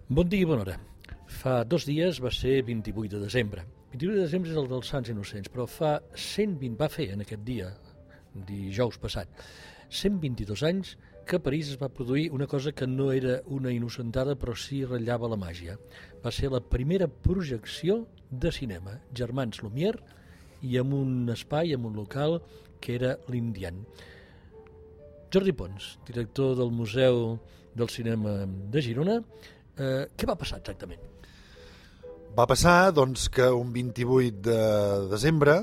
Bon dia i bona hora. Fa 2 dies va ser 28 de desembre. 28 de desembre és el dels Sants Innocents, però fa 120, va fer en aquest dia, dijous passat, 122 anys que a París es va produir una cosa que no era una innocentada, però sí ratllava la màgia. Va ser la primera projecció de cinema, germans Lumière, i amb un espai, amb un local, que era l'Indian. Jordi Pons, director del Museu del Cinema de Girona, què va passar exactament? Va passar doncs, que un 28 de desembre,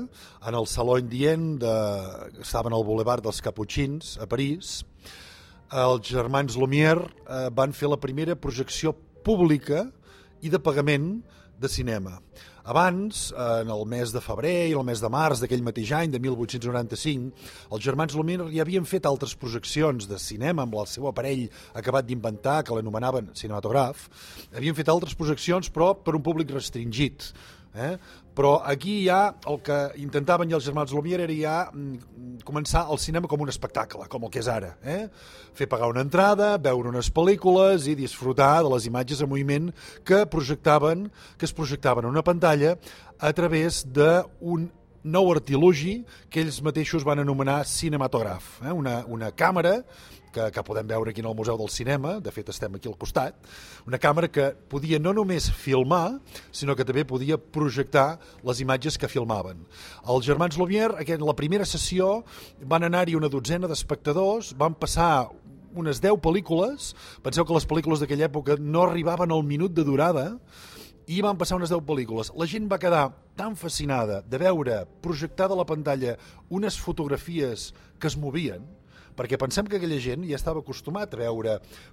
en el Saló Indien, que estava al Boulevard dels Caputxins, a París, els germans Lumière van fer la primera projecció pública i de pagament de cinema. Abans, en el mes de febrer i el mes de març d'aquell mateix any, de 1895, els germans Lumière ja havien fet altres projeccions de cinema amb el seu aparell acabat d'inventar, que l'anomenaven cinematograf. Havien fet altres projeccions, però per un públic restringit. Però aquí ja el que intentaven els germans Lumière era ja començar el cinema com un espectacle, com el que és ara. Fer pagar una entrada, veure unes pel·lícules i disfrutar de les imatges en moviment que es projectaven en una pantalla a través d'un nou artilugi que ells mateixos van anomenar cinematograf. Una càmera que podem veure aquí en el Museu del Cinema, de fet estem aquí al costat, una càmera que podia no només filmar, sinó que també podia projectar les imatges que filmaven. Els germans Lumière, en la primera sessió, van anar-hi una dotzena d'espectadors, van passar unes 10 pel·lícules, penseu que les pel·lícules d'aquella època no arribaven al minut de durada, i van passar unes 10 pel·lícules. La gent va quedar tan fascinada de veure projectada a la pantalla unes fotografies que es movien, perquè pensem que aquella gent ja estava acostumat a veure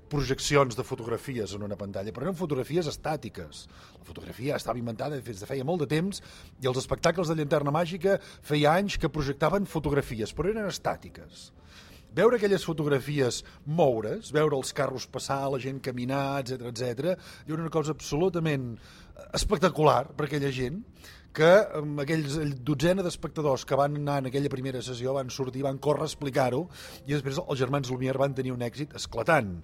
projeccions de fotografies en una pantalla, però eren fotografies estàtiques. La fotografia estava inventada des de feia molt de temps i els espectacles de Llanterna Màgica feia anys que projectaven fotografies, però eren estàtiques. Veure aquelles fotografies moure's, veure els carros passar, la gent caminar, etc, era una cosa absolutament espectacular per aquella gent, que amb aquells dotzena d'espectadors que van anar en aquella primera sessió van sortir, van córrer a explicar-ho, i després els germans Lumière van tenir un èxit esclatant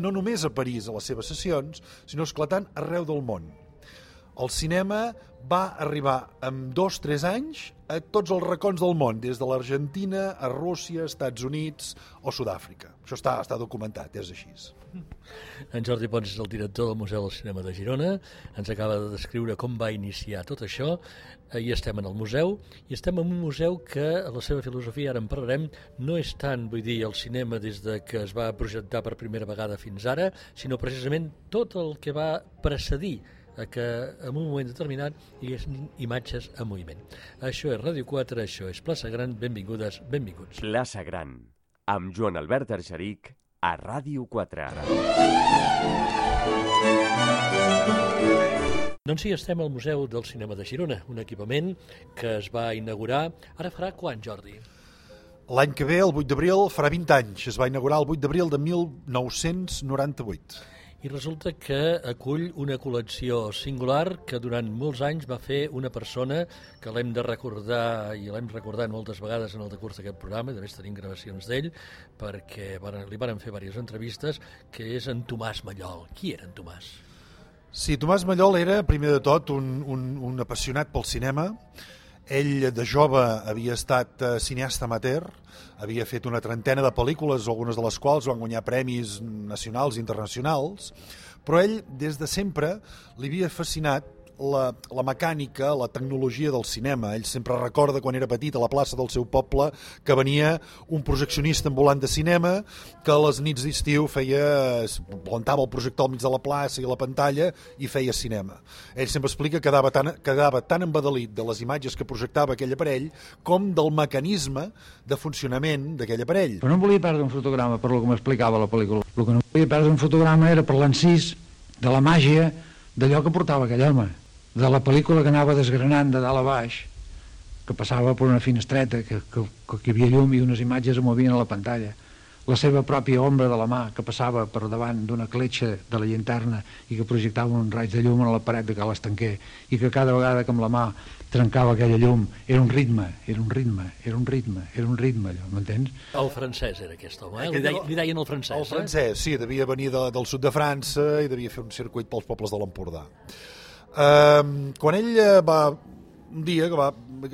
no només a París a les seves sessions, sinó esclatant arreu del món. El cinema va arribar en 2-3 anys a tots els racons del món, des de l'Argentina a Rússia, Estats Units o Sud-àfrica. Això està documentat, és així. En Jordi Pons és el director del Museu del Cinema de Girona, ens acaba de descriure com va iniciar tot això, i estem en el museu, i estem en un museu que la seva filosofia, ara en parlarem, no és tant, vull dir, el cinema des de que es va projectar per primera vegada fins ara, sinó precisament tot el que va precedir que en un moment determinat hi haguessin imatges en moviment. Això és Ràdio 4, això és Plaça Gran, benvingudes, benvinguts. Plaça Gran, amb Joan Albert Argeric, a Ràdio 4. Doncs sí, estem al Museu del Cinema de Girona, un equipament que es va inaugurar, ara farà quan, Jordi? L'any que ve, el 8 d'abril, farà 20 anys. Es va inaugurar el 8 d'abril de 1998. I resulta que acull una col·lecció singular que durant molts anys va fer una persona que l'hem de recordar, i l'hem recordat moltes vegades en el decurs d'aquest programa, i de més tenim gravacions d'ell, perquè li van fer diverses entrevistes, que és en Tomàs Mallol. Qui era en Tomàs? Sí, Tomàs Mallol era, primer de tot, un apassionat pel cinema. Ell, de jove, havia estat cineasta amateur, havia fet una trentena de pel·lícules, algunes de les quals van guanyar premis nacionals i internacionals, però ell, des de sempre, li havia fascinat la mecànica, la tecnologia del cinema. Ell sempre recorda quan era petit a la plaça del seu poble que venia un projeccionista ambulant de cinema que a les nits d'estiu plantava el projector al mig de la plaça i a la pantalla i feia cinema. Ell sempre explica que quedava tan embadalit de les imatges que projectava aquell aparell com del mecanisme de funcionament d'aquell aparell. Però no volia perdre un fotograma per lo que m'explicava la pel·lícula. El que no volia perdre un fotograma era per l'encís de la màgia d'allò que portava aquell home, de la pel·lícula que anava desgranant de dalt a baix, que passava per una finestreta, que hi havia llum i unes imatges es movien a la pantalla. la seva pròpia ombra de la mà que passava per davant d'una cletxa de la llanterna i que projectava un raig de llum a la paret de Cal Estanquer, i que cada vegada que amb la mà trencava aquella llum era un ritme, allò, m'entens? El francès era aquest home, li deien el francès. El francès, sí, devia venir del sud de França i devia fer un circuit pels pobles de l'Empordà. Quan ell va, un dia,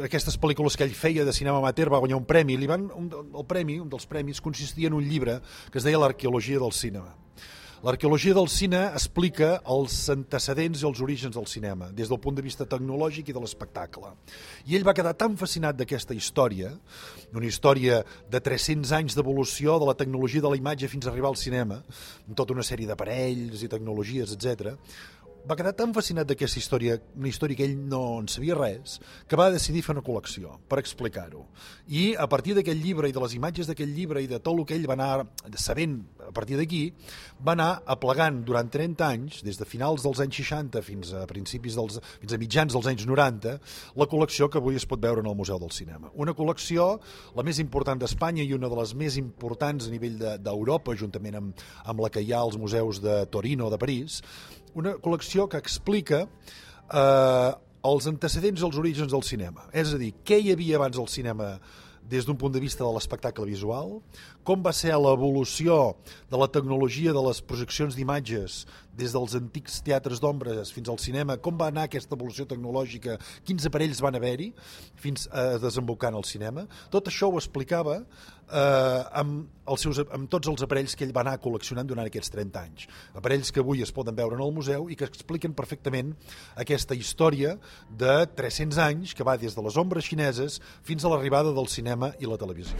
aquestes pel·lícules que ell feia de cinema amateur, va guanyar un premi, un dels premis consistia en un llibre que es deia L'arqueologia del cinema. L'arqueologia del cine explica els antecedents i els orígens del cinema, des del punt de vista tecnològic i de l'espectacle. I ell va quedar tan fascinat d'aquesta història, una història de 300 anys d'evolució de la tecnologia de la imatge fins a arribar al cinema, amb tota una sèrie d'aparells i tecnologies, etc. Va quedar tan fascinat d'aquesta història, una història que ell no en sabia res, que va decidir fer una col·lecció per explicar-ho. I a partir d'aquest llibre i de les imatges d'aquest llibre i de tot el que ell va anar sabent a partir d'aquí, va anar aplegant durant 30 anys, des de finals dels anys 60 fins a mitjans dels anys 90, la col·lecció que avui es pot veure en el Museu del Cinema. Una col·lecció, la més important d'Espanya i una de les més importants a nivell d'Europa, juntament amb la que hi ha als museus de Torino o de París, una col·lecció que explica els antecedents i els orígens del cinema. És a dir, què hi havia abans del cinema des d'un punt de vista de l'espectacle visual, com va ser l'evolució de la tecnologia de les projeccions d'imatges des dels antics teatres d'ombres fins al cinema, com va anar aquesta evolució tecnològica, quins aparells van haver-hi fins a desembocar en el cinema. Tot això ho explicava amb tots els aparells que ell va anar col·leccionant durant aquests 30 anys. Aparells que avui es poden veure en el museu i que expliquen perfectament aquesta història de 300 anys que va des de les ombres xineses fins a l'arribada del cinema i la televisió.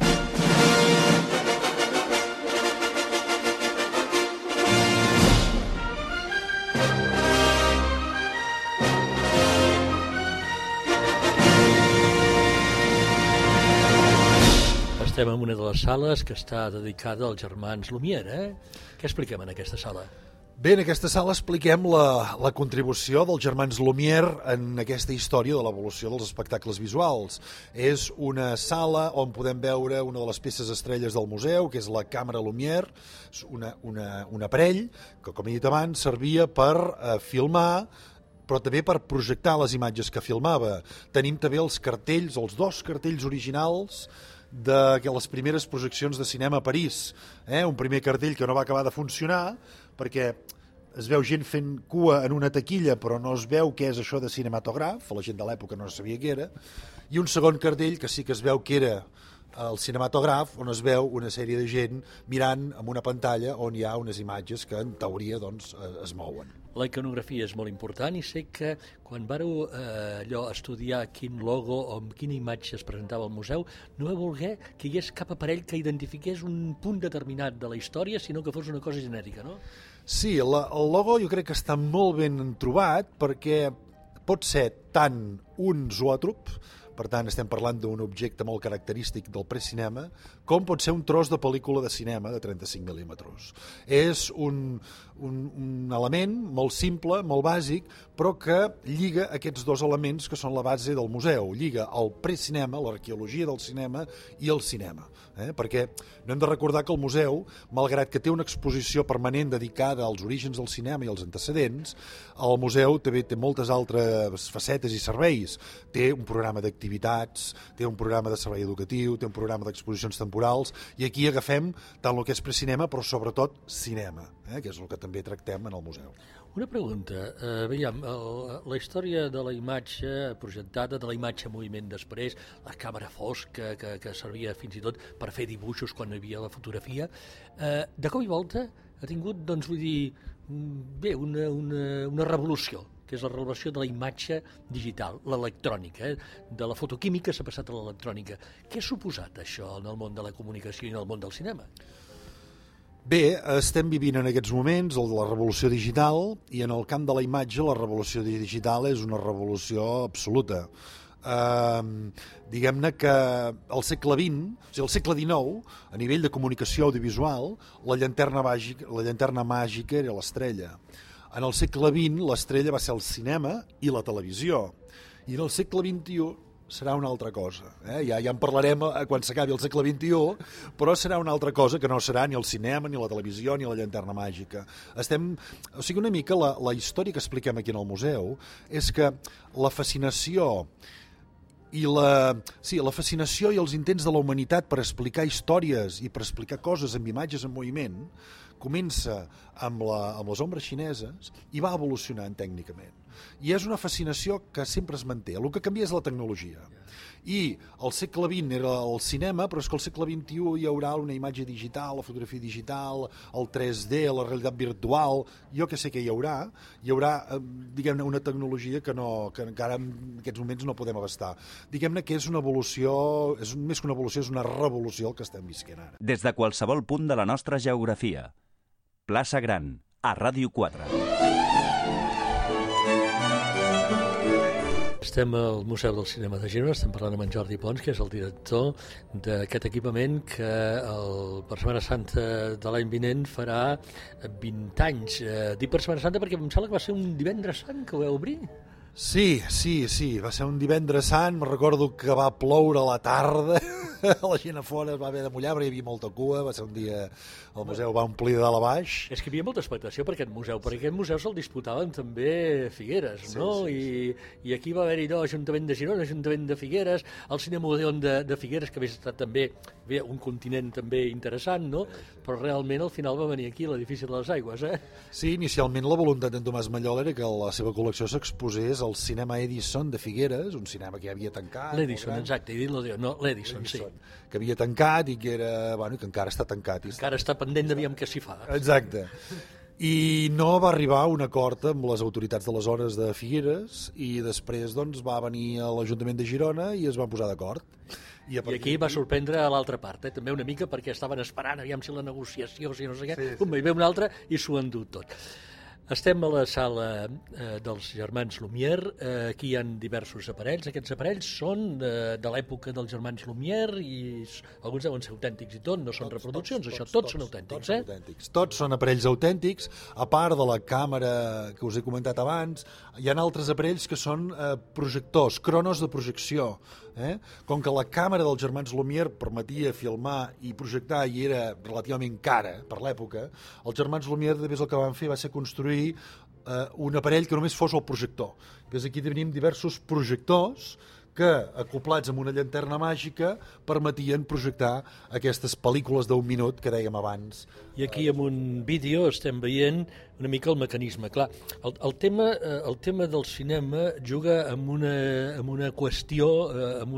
Estem en una de les sales que està dedicada als germans Lumière. Què expliquem en aquesta sala? Bé, en aquesta sala expliquem la contribució dels germans Lumière en aquesta història de l'evolució dels espectacles visuals. És una sala on podem veure una de les peces estrelles del museu, que és la càmera Lumière, un aparell que, com he dit abans, servia per filmar, però també per projectar les imatges que filmava. Tenim també els cartells, els 2 cartells originals de les primeres projeccions de cinema a París. Un primer cartell que no va acabar de funcionar perquè es veu gent fent cua en una taquilla però no es veu què és això de cinematògraf, la gent de l'època no sabia què era, i un segon cartell que sí que es veu que era el cinematògraf, on es veu una sèrie de gent mirant amb una pantalla on hi ha unes imatges que en teoria doncs, es mouen. La iconografia és molt important i sé que quan vareu estudiar quin logo o amb quina imatge es presentava al museu, no vau voler que hi hagués cap aparell que identifiqués un punt determinat de la història, sinó que fos una cosa genèrica, no? Sí, el logo jo crec que està molt ben trobat perquè pot ser tant un zoòtrop, per tant estem parlant d'un objecte molt característic del precinema, com pot ser un tros de pel·lícula de cinema de 35 mil·límetres. És un element molt simple, molt bàsic, però que lliga aquests 2 elements que són la base del museu. Lliga el precinema, l'arqueologia del cinema i el cinema. Perquè no hem de recordar que el museu, malgrat que té una exposició permanent dedicada als orígens del cinema i als antecedents, el museu també té moltes altres facetes i serveis. Té un programa d'activitats, té un programa de servei educatiu, té un programa d'exposicions temporals, i aquí agafem tant el que és precinema, però sobretot cinema, que és el que també tractem en el museu. Una pregunta, veiem, la història de la imatge projectada, de la imatge en moviment després, la càmera fosca que servia fins i tot per fer dibuixos quan hi havia la fotografia, de cop i volta ha tingut, doncs vull dir, bé, una revolució, que és la revolució de la imatge digital, l'electrònica, de la fotoquímica s'ha passat a l'electrònica. Què ha suposat això en el món de la comunicació i en el món del cinema? Bé, estem vivint en aquests moments la revolució digital i en el camp de la imatge la revolució digital és una revolució absoluta. Diguem-ne que al segle XX, o sigui, al segle XIX, a nivell de comunicació audiovisual, la llanterna màgica era l'estrella. En el segle XX l'estrella va ser el cinema i la televisió. I en el segle XXI serà una altra cosa. Ja en parlarem quan s'acabi el segle XXI, però serà una altra cosa que no serà ni el cinema, ni la televisió, ni la llanterna màgica. O sigui, una mica la història que expliquem aquí en el museu és que la fascinació i la fascinació i els intents de la humanitat per explicar històries i per explicar coses amb imatges en moviment comença amb les ombres xineses i va evolucionant tècnicament. I és una fascinació que sempre es manté. El que canvia és la tecnologia. I el segle XX era el cinema, però és que al segle XXI hi haurà una imatge digital, la fotografia digital, el 3D, la realitat virtual, jo que sé què hi haurà, diguem-ne, una tecnologia que encara en aquests moments no podem abastar. Diguem-ne que és una evolució, més que una evolució, és una revolució el que estem visquent ara. Des de qualsevol punt de la nostra geografia. Plaça Gran, a Ràdio 4. Estem al Museu del Cinema de Girona, estem parlant amb en Jordi Pons, que és el director d'aquest equipament que per Setmana Santa de l'any vinent farà 20 anys. Dic per Setmana Santa perquè em sembla que va ser un divendres sant que ho vau obrir. Sí, va ser un divendres sant, me'n recordo que va ploure a la tarda, la gent a fora es va haver de mullar perquè hi havia molta cua, va ser un dia, el museu va omplir de dalt a baix. És que hi havia molta expectació per aquest museu, perquè aquest museu se'l disputaven també Figueres, no? I aquí va haver-hi Ajuntament de Girona, Ajuntament de Figueres, el Cinema Odeon de Figueres, que havia estat també un continent també interessant, no? Però realment al final va venir aquí l'edifici de les Aigües, Sí, inicialment la voluntat d'en Tomàs Mallol era que la seva col·lecció s'exposés al cinema Edison de Figueres, un cinema que ja havia tancat. L'Edison, exacte, he dit l'Odeon, no, l'Edison, sí. Que havia tancat i que que encara està tancat. Encara està pendent d'aviam què s'hi fa. Exacte. I no va arribar a un acord amb les autoritats de les zones de Figueres i després va venir a l'Ajuntament de Girona i es van posar d'acord. I aquí va sorprendre a l'altra part, també una mica, perquè estaven esperant, aviam si la negociació, si no sé què, hi ve una altra i s'ho han dut tot. Estem a la sala dels germans Lumière, aquí hi ha diversos aparells. Aquests aparells són de l'època dels germans Lumière i alguns deuen ser autèntics i tot, no són reproduccions, tots són autèntics. Tots són aparells autèntics, a part de la càmera que us he comentat abans, hi ha altres aparells que són projectors, cronos de projecció. Com que la càmera dels germans Lumière permetia filmar i projectar i era relativament cara per l'època, els germans Lumière després el que van fer va ser construir un aparell que només fos el projector. Aquí tenim diversos projectors que, acoplats amb una llanterna màgica, permetien projectar aquestes pel·lícules d'un minut que dèiem abans. I aquí amb un vídeo estem veient una mica el mecanisme. Clar, el tema del cinema juga amb una qüestió, amb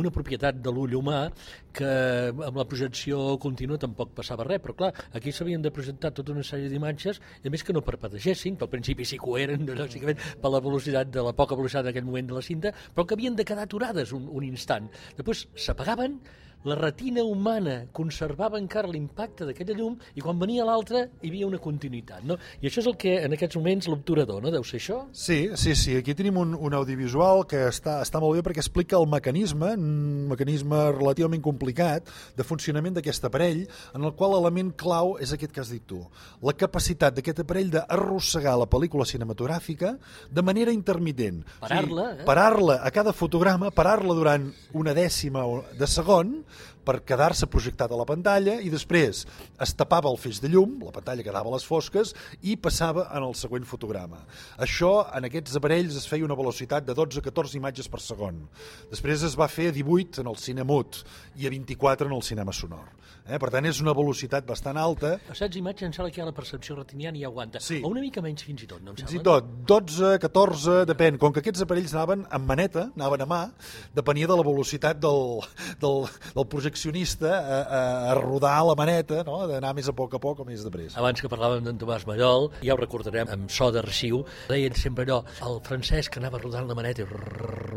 una propietat de l'ull humà que amb la projecció contínua tampoc passava res, però clar, aquí s'havien de presentar tota una sèrie d'imatges, i a més que no parpadegessin, que al principi sí que ho eren, lògicament, per la velocitat de la poca velocitat en aquell moment de la cinta, però que havien de quedar aturades un instant. Després s'apagaven, la retina humana conservava encara l'impacte d'aquella llum i quan venia l'altra hi havia una continuïtat, no? I això és el que en aquests moments l'obturador, no? Deu ser això? Sí, aquí tenim un audiovisual que està molt bé perquè explica el mecanisme, un mecanisme relativament complicat de funcionament d'aquest aparell, en el qual l'element clau és aquest que has dit tu, la capacitat d'aquest aparell d'arrossegar la pel·lícula cinematogràfica de manera intermitent. Parar-la a cada fotograma, parar-la durant una dècima de segon per quedar-se projectat a la pantalla i després es tapava el feix de llum, la pantalla quedava a les fosques i passava en el següent fotograma. Això, en aquests aparells, es feia una velocitat de 12-14 imatges per segon. Després es va fer a 18 en el cine mut i a 24 en el cinema sonor. Per tant, és una velocitat bastant alta. A 16 imatges em sembla que hi ha la percepció retiniana i aguanta. Sí. O una mica menys fins i tot, no em sembla? Fins i tot, 12, 14, depèn. Com que aquests aparells anaven amb maneta, anaven a mà, depenia de la velocitat del projeccionista a rodar la maneta, no? D'anar més a poc o més de pressa. Abans que parlàvem d'en Tomàs Mallol, ja ho recordarem, amb so d'arxiu, deien sempre allò, el francès que anava rodant la maneta i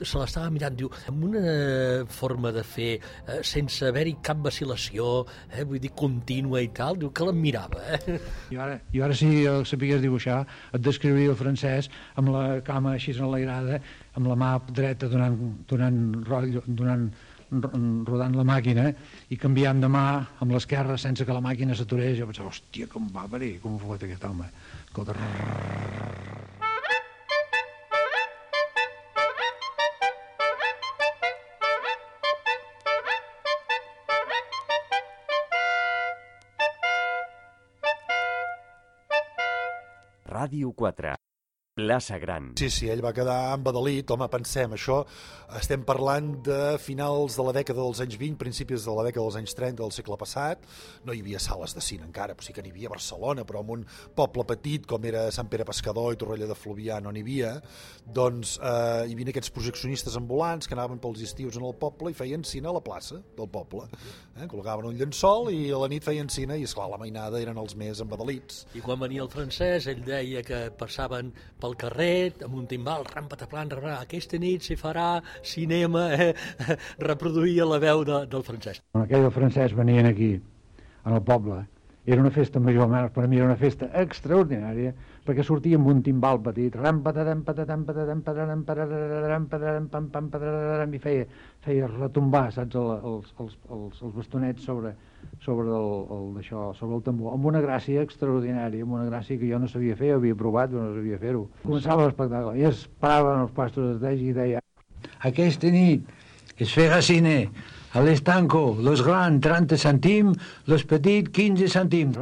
se l'estava mirant, diu, amb una forma de fer sense haver-hi cap vacil·lació, vull dir, contínua i tal, diu que l'admirava. Jo ara si el sapigués dibuixar, et descriuria el francès amb la cama així enlairada, amb la mà dreta rodant la màquina i canviant de mà amb l'esquerra sense que la màquina s'aturés. Jo pensava, hòstia, com va venir, com ho fa aquest home. Escolta... Ràdio 4. Plaça Gran. Sí, ell va quedar embadalit. Home, pensem, això estem parlant de finals de la dècada dels anys 20, principis de la dècada dels anys 30 del segle passat. No hi havia sales de cine encara, però sí que n'hi havia a Barcelona, però en un poble petit com era Sant Pere Pescador i Torroella de Fluvià no n'hi havia. Doncs hi havia aquests projeccionistes ambulants que anaven pels estius en el poble i feien cine a la plaça del poble. Col·locaven un llençol i a la nit feien cine i, esclar, la mainada eren els més embadalits. I quan venia el francès, ell deia que passaven pel carrer amb un timbal, rampataplan, aquesta nit s'hi farà cinema, reproduïa la veu del francès. Quan aquell francès venien aquí, en el poble, era una festa major, almenys per a mi era una festa extraordinària, perquè sortia amb un timbal petit, i feia retombar, saps, els bastonets sobre el tambor, amb una gràcia extraordinària, amb una gràcia que jo no sabia fer, havia provat, però no sabia fer-ho. Començava l'espectacle i es paraven els pastos d'Esteix i deia: aquesta nit es farà cine, a l'estanco, los grans 30 cèntims, los petits 15 cèntims.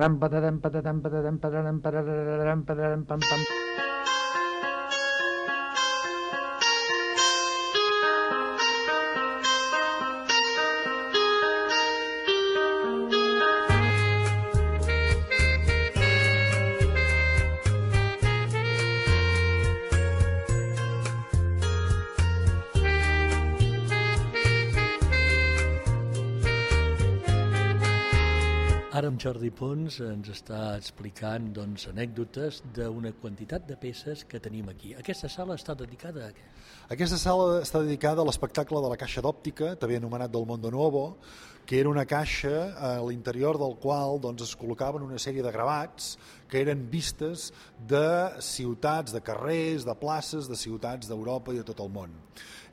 Ara en Jordi Pons ens està explicant anècdotes d'una quantitat de peces que tenim aquí. Aquesta sala està dedicada a què? Aquesta sala està dedicada a l'espectacle de la caixa d'òptica, també anomenat del Mondo Nuovo, que era una caixa a l'interior del qual es col·locaven una sèrie de gravats que eren vistes de ciutats, de carrers, de places, de ciutats d'Europa i de tot el món.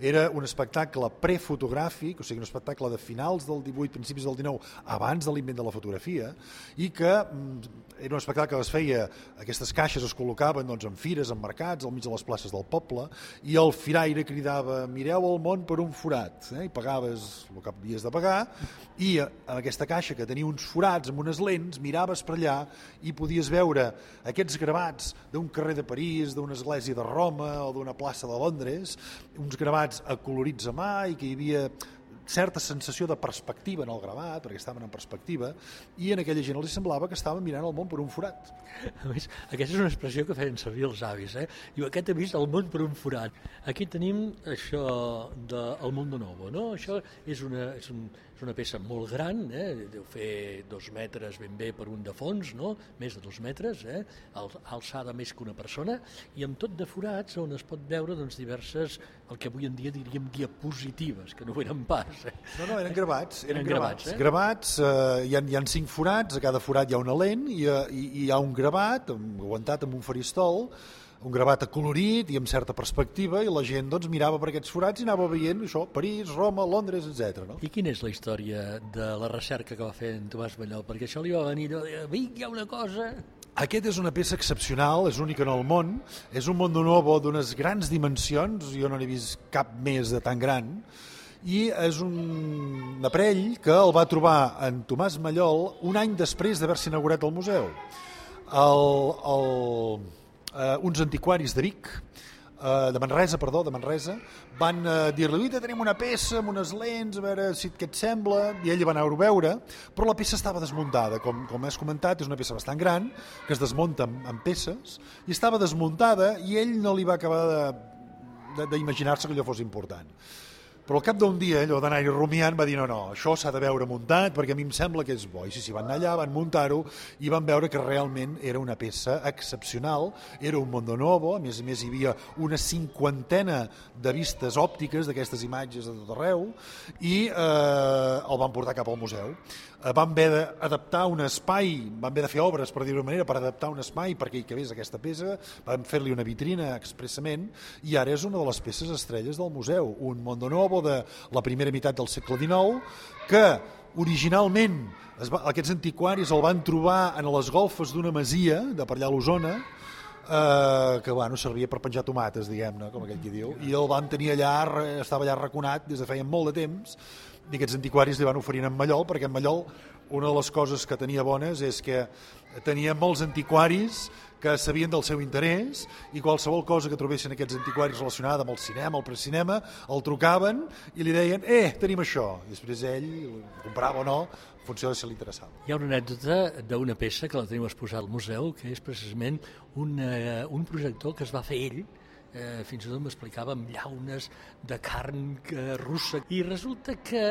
Era un espectacle prefotogràfic, o sigui, un espectacle de finals del 18, principis del 19, abans de l'invent de la fotografia, i que era un espectacle que es feia, aquestes caixes es col·locaven en fires, en mercats, al mig de les places del poble, i el firaire cridava: mireu el món per un forat, i pagaves el que havies de pagar, i en aquesta caixa que tenia uns forats amb unes lents, miraves per allà i podies veure aquests gravats d'un carrer de París, d'una església de Roma o d'una plaça de Londres, uns gravats acolorits a mà i que hi havia certa sensació de perspectiva en el gravat, perquè estaven en perspectiva, i en aquella gent els semblava que estaven mirant el món per un forat. A més, aquesta és una expressió que feien servir els avis, Diu, aquest ha vist el món per un forat. Aquí tenim això del Mondo Nuovo, no? Això és una peça molt gran, deu fer 2 metres ben bé per un de fons, no? Més de 2 metres, alçada més que una persona, i amb tot de forats on es pot veure diverses, el que avui en dia diríem diapositives, que no ho eren pas. No, eren gravats. Eren gravats, Gravats, hi ha 5 forats, a cada forat hi ha una lent i hi ha un gravat aguantat amb un faristol, un gravat acolorit i amb certa perspectiva, i la gent mirava per aquests forats i anava veient això, París, Roma, Londres, etc. No? I quina és la història de la recerca que va fer en Tomàs Mallol? Perquè això li va venir allò de dir, hi ha una cosa... Aquest és una peça excepcional, és única en el món, és un Mondo Nuovo d'unes grans dimensions, jo no n'he vist cap més de tan gran, i és un aparell que el va trobar en Tomàs Mallol un any després d'haver-se inaugurat el museu. Uns antiquaris de Vic, de Manresa, van dir-li: tenim una peça amb unes lents, a veure si què et sembla, i ell va anar-ho a veure, però la peça estava desmuntada, com has comentat, és una peça bastant gran, que es desmunta en peces, i estava desmuntada, i ell no li va acabar d'imaginar-se que allò fos important. Però al cap d'un dia, allò d'anar-hi rumiant, va dir no, això s'ha de veure muntat perquè a mi em sembla que és bo. I sí, van anar allà, van muntar-ho i van veure que realment era una peça excepcional, era un Mondo Nuovo, a més hi havia una 50ena de vistes òptiques d'aquestes imatges de tot arreu i el van portar cap al museu. Van haver d'adaptar un espai, van haver de fer obres, per dir-ho d'una manera, per adaptar un espai perquè hi cabés aquesta peça, van fer-li una vitrina expressament i ara és una de les peces estrelles del museu, un Mondo Nuovo de la primera meitat del segle XIX que originalment aquests antiquaris el van trobar en les golfes d'una masia de per allà a l'Osona, que servia per penjar tomates, diguem-ne, com aquell qui diu, i el van tenir allà, estava allà arraconat des de feia molt de temps, i aquests antiquaris li van oferir en Mallol, perquè en Mallol una de les coses que tenia bones és que tenia molts antiquaris que sabien del seu interès i qualsevol cosa que trobessin aquests antiquaris relacionada amb el cinema, el precinema, el trucaven i li deien, tenim això. I després ell comprava o no, en funció de si li interessava. Hi ha una anècdota d'una peça que la tenim exposada al museu, que és precisament un projector que es va fer ell, fins i tot m'explicava amb llaunes de carn russa. I resulta que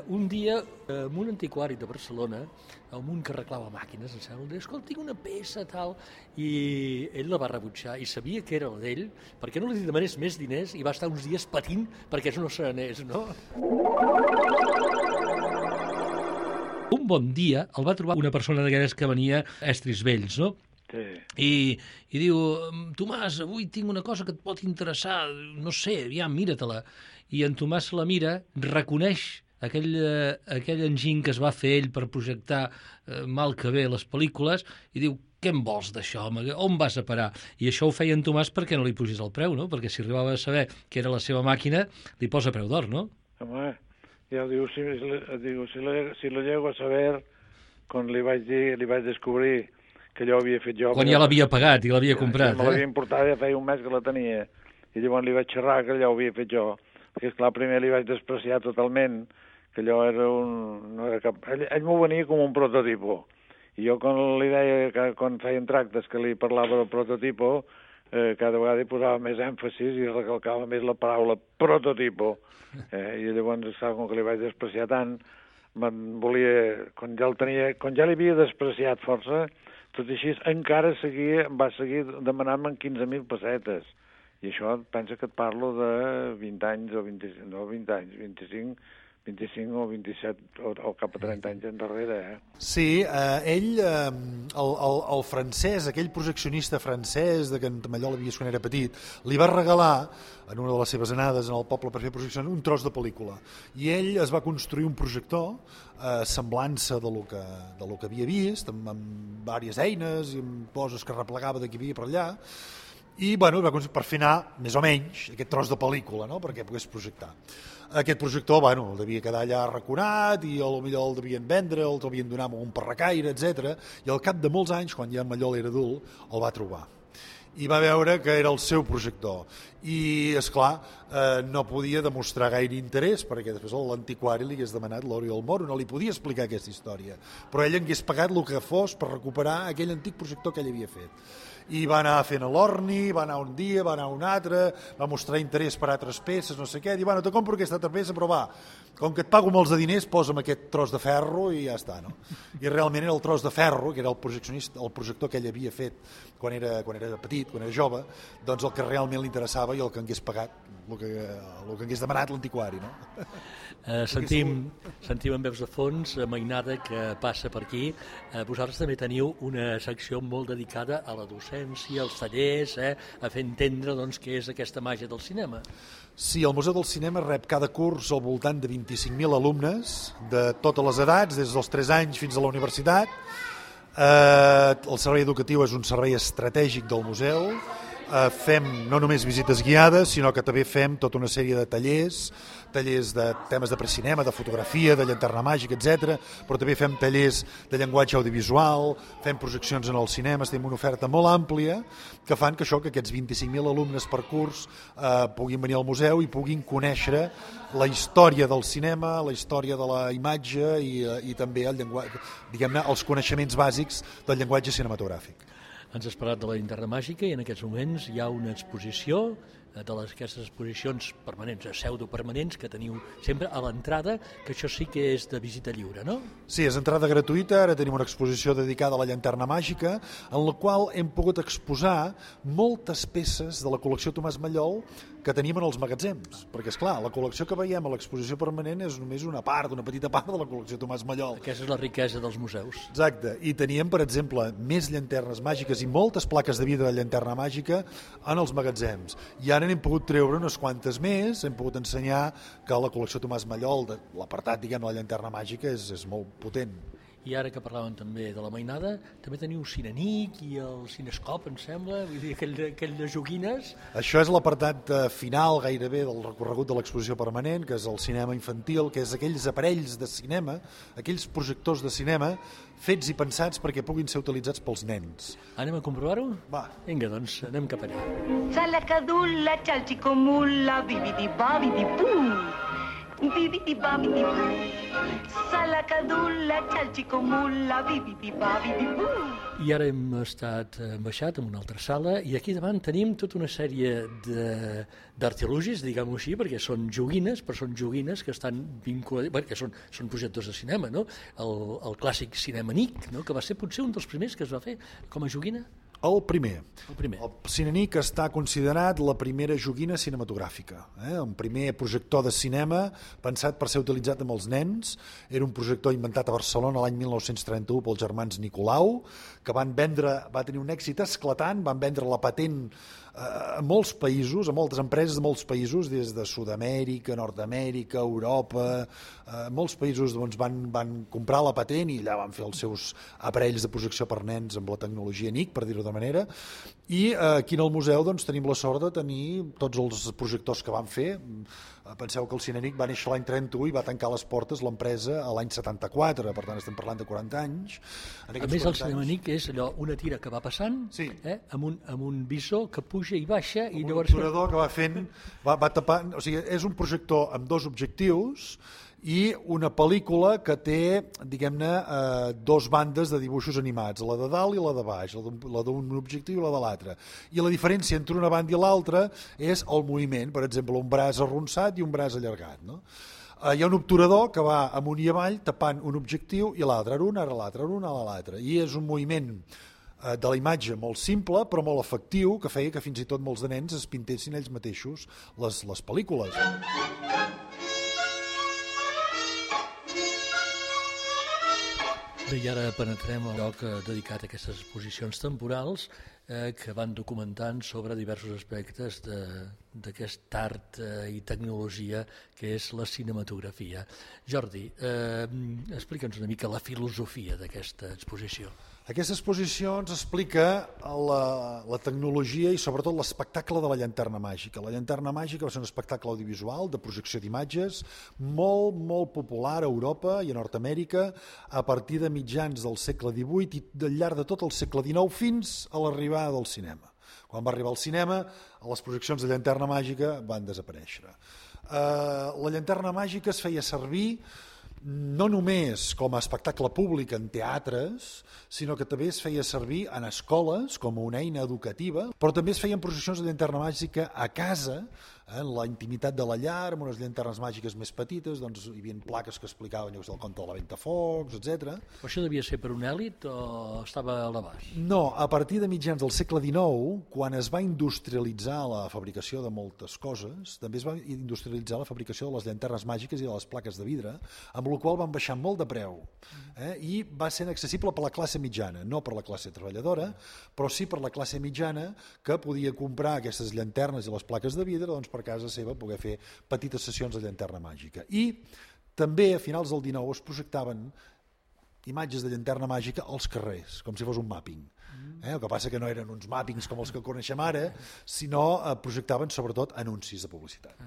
un dia en un antiquari de Barcelona, un que arreglava màquines, em sembla, escolta, tinc una peça tal, i ell la va rebutjar i sabia que era la d'ell, perquè no li demanés més diners i va estar uns dies patint perquè no se n'anés, no? Un bon dia el va trobar una persona d'aquelles que venia a Estris Vells, no? Sí. I diu, Tomàs, avui tinc una cosa que et pot interessar, no sé, aviam, mira-te-la. I en Tomàs la mira, reconeix aquell enginy que es va fer ell per projectar mal que bé les pel·lícules i diu, què en vols d'això, home? On vas a parar? I això ho feia en Tomàs perquè no li pugis el preu, no? Perquè si arribava a saber que era la seva màquina, li posa preu d'or, no? Home, ja diu, si lo llego a saber, quan li vaig descobrir que allò havia fet jo... Quan ja l'havia pagat i l'havia comprat, me l'havia importat, ja feia un mes que la tenia. I llavors li vaig xerrar que allò ho havia fet jo. Perquè, esclar, primer li vaig despreciar totalment, que allò era no era cap... Ell m'ho venia com un prototipo. I jo quan li deia, que quan feien tractes que li parlava del prototipo, cada vegada hi posava més èmfasis i recalcava més la paraula prototipo. I llavors, com que li vaig despreciar tant, volia... Quan ja l'havia despreciat força, tot i així encara va seguir demanant-me 15.000 pessetes. I això pensa que et parlo de 20 anys o 25, no 20 anys, 25 o 27 o cap a 30 anys endarrere, Sí, ell, el francès, aquell projeccionista francès de que en Mallol havia vist quan era petit, li va regalar, en una de les seves anades en el poble per fer projeccions, un tros de pel·lícula. I ell es va construir un projector semblança de lo que havia vist, amb diverses eines i amb coses que replegava d'aquí havia per allà, i bueno, per fer anar, més o menys, aquest tros de pel·lícula, no?, perquè pogués projectar. Aquest projector, bueno, el devia quedar allà arraconat i potser el devien vendre, el devien donar a un parracaire, etc. I al cap de molts anys, quan ja en Mallol era adult, el va trobar. I va veure que era el seu projector. I, esclar, no podia demostrar gaire interès, perquè després l'antiquari li hagués demanat l'or i el moro, no li podia explicar aquesta història. Però ell hagués pagat el que fos per recuperar aquell antic projector que ell havia fet. I va anar fent a l'Orni, va anar un dia, va anar un altre, va mostrar interès per altres peces, no sé què, diu, bueno, te compro aquesta altra peça, però va, com que et pago molts de diners, posa'm aquest tros de ferro i ja està, no? I realment era el tros de ferro, que era el projector que ell havia fet quan era petit, quan era jove, doncs el que realment li interessava i el que hagués pagat, el que hagués demanat l'antiquari, no? Sentim en veus de fons Mainada que passa per aquí. Vosaltres també teniu una secció molt dedicada a la docència, als tallers, a fer entendre doncs, què és aquesta màgia del cinema. Sí, el Museu del Cinema rep cada curs al voltant de 25.000 alumnes de totes les edats, des dels 3 anys fins a la universitat. El servei educatiu és un servei estratègic del museu. Fem no només visites guiades, sinó que també fem tota una sèrie de tallers de temes de precinema, de fotografia, de llanterna màgica, etc. Però també fem tallers de llenguatge audiovisual, fem projeccions en els cinemes, tenim una oferta molt àmplia que fan que aquests 25.000 alumnes per curs puguin venir al museu i puguin conèixer la història del cinema, la història de la imatge i també el llenguatge, diguem-ne, els coneixements bàsics del llenguatge cinematogràfic. Ens has parlat de la llanterna màgica i en aquests moments hi ha una exposició d'aquestes exposicions permanents, pseudopermanents, que teniu sempre a l'entrada, que això sí que és de visita lliure, no? Sí, és entrada gratuïta, ara tenim una exposició dedicada a la llanterna màgica, en la qual hem pogut exposar moltes peces de la col·lecció Tomàs Mallol que tenim en els magatzems, perquè, esclar, la col·lecció que veiem a l'exposició permanent és només una petita part de la col·lecció Tomàs Mallol. Aquesta és la riquesa dels museus. Exacte, i teníem, per exemple, més llanternes màgiques i moltes plaques de vida de llanterna màgica en els magatzems. I ara n'hem pogut treure unes quantes més, hem pogut ensenyar que la col·lecció Tomàs Mallol, l'apartat, diguem, de la llanterna màgica és molt potent. I ara que parlàvem també de la mainada, també teniu Cinenic i el Cinescop, em sembla, vull dir, aquell de joguines. Això és l'apartat final gairebé del recorregut de l'exposició permanent, que és el cinema infantil, que és aquells aparells de cinema, aquells projectors de cinema fets i pensats perquè puguin ser utilitzats pels nens. Anem a comprovar-ho? Va. Vinga, doncs anem cap allà. Salacadulla, chalchicomulla, bibidi-babidi-bú. Bibidi-babidi-bú. Salacadulla, chalchicomulla, bibidi-babidi-bú. I ara hem baixat en una altra sala i aquí davant tenim tota una sèrie d'artilugis, diguem-ho així, perquè són joguines, però són joguines que estan vinculades, que són projectors de cinema, no? El clàssic Cinenic, no? Que va ser potser un dels primers que es va fer com a joguina. El primer. El Cinenic està considerat la primera joguina cinematogràfica, un primer projector de cinema pensat per ser utilitzat amb els nens. Era un projector inventat a Barcelona l'any 1931 pels germans Nicolau, que va tenir un èxit esclatant, van vendre la patent a molts països, a moltes empreses de molts països, des de Sud-amèrica, Nord-amèrica, Europa, molts països doncs, van comprar la patent i allà van fer els seus aparells de projecció per nens amb la tecnologia NIC, per dir-ho de manera, i aquí en el museu doncs, tenim la sort de tenir tots els projectors que van fer. Penseu que el Cinenic va néixer l'any 31 i va tancar les portes l'empresa a l'any 74, per tant estem parlant de 40 anys. A més, el Cinenic és allò, una tira que va passant, sí, amb un visor que puja i baixa. I llavors un obturador que va fent, va tapant, o sigui, és un projector amb dos objectius i una pel·lícula que té, diguem-ne, dos bandes de dibuixos animats, la de dalt i la de baix, la d'un objectiu i la de l'altre. I la diferència entre una banda i l'altra és el moviment, per exemple, un braç arronsat i un braç allargat, no? Hi ha un obturador que va amunt i avall tapant un objectiu i l'altre, ara un, ara l'altre, ara un, ara l'altre. I és un moviment de la imatge molt simple però molt efectiu que feia que fins i tot molts de nens es pintessin ells mateixos les pel·lícules. Bé, i ara penetrem al lloc dedicat a aquestes exposicions temporals que van documentant sobre diversos aspectes d'aquest art i tecnologia que és la cinematografia. Jordi, explica'ns una mica la filosofia d'aquesta exposició. Aquesta exposició ens explica la tecnologia i sobretot l'espectacle de la llanterna màgica. La llanterna màgica va ser un espectacle audiovisual de projecció d'imatges molt, molt popular a Europa i a Nord-amèrica a partir de mitjans del segle XVIII i al llarg de tot el segle XIX fins a l'arribada del cinema. Quan va arribar al cinema, les projeccions de llanterna màgica van desaparèixer. La llanterna màgica es feia servir no només com a espectacle públic en teatres, sinó que també es feia servir en escoles com una eina educativa, però també es feien projeccions de llanterna màgica a casa, en la intimitat de la llar, amb unes llanternes màgiques més petites, doncs hi havia plaques que explicaven el conte de la Ventafocs, etc. Però això devia ser per un èlit o estava a l'abast? No, a partir de mitjans del segle XIX, quan es va industrialitzar la fabricació de moltes coses, també es va industrialitzar la fabricació de les llanternes màgiques i de les plaques de vidre, amb la qual van baixar molt de preu, i va ser accessible per la classe mitjana, no per la classe treballadora, però sí per la classe mitjana que podia comprar aquestes llanternes i les plaques de vidre doncs, per casa seva poder fer petites sessions de llanterna màgica. I també a finals del XIX es projectaven imatges de llanterna màgica als carrers, com si fos un mapping. El que passa que no eren uns mappings com els que coneixem ara, sinó projectaven sobretot anuncis de publicitat.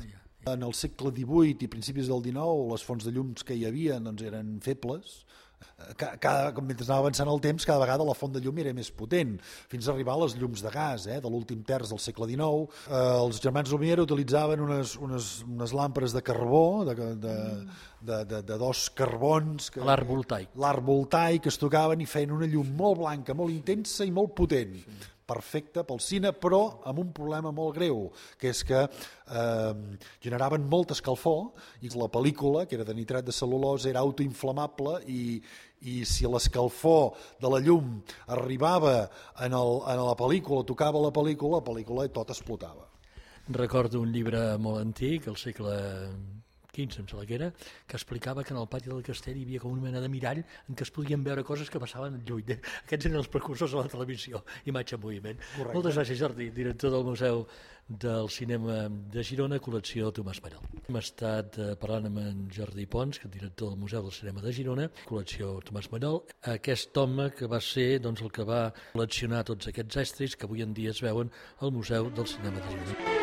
En el segle XVIII i principis del XIX les fonts de llums que hi havia doncs, eren febles. Mentre anava avançant el temps, cada vegada la font de llum era més potent, fins a arribar a les llums de gas de l'últim terç del segle XIX. Els germans Lumière utilitzaven unes làmperes de carbó, de dos carbons, l'arc voltaic. L'arc voltaic, que es tocaven i feien una llum molt blanca, molt intensa i molt potent. Perfecte pel cine, però amb un problema molt greu, que és que generaven molta escalfor i la pel·lícula, que era de nitrat de cel·lulosa, era autoinflamable i si l'escalfor de la llum arribava a la pel·lícula, tocava la pel·lícula tot explotava. Recordo un llibre molt antic, el segle 15, em sembla que era, que explicava que en el pati del castell hi havia com una mena de mirall en què es podien veure coses que passaven lluny. Aquests eren els precursors de la televisió, imatge en moviment. Correcte. Moltes gràcies, Jordi, director del Museu del Cinema de Girona, col·lecció Tomàs Mallol. Hem estat parlant amb en Jordi Pons, que és director del Museu del Cinema de Girona, col·lecció Tomàs Mallol, aquest home que va ser doncs, el que va col·leccionar tots aquests estris que avui en dia es veuen al Museu del Cinema de Girona.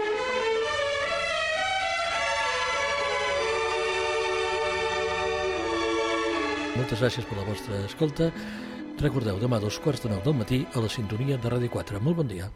Moltes gràcies per la vostra escolta. Recordeu, demà a 2:45 del matí a la sintonia de Ràdio 4. Molt bon dia.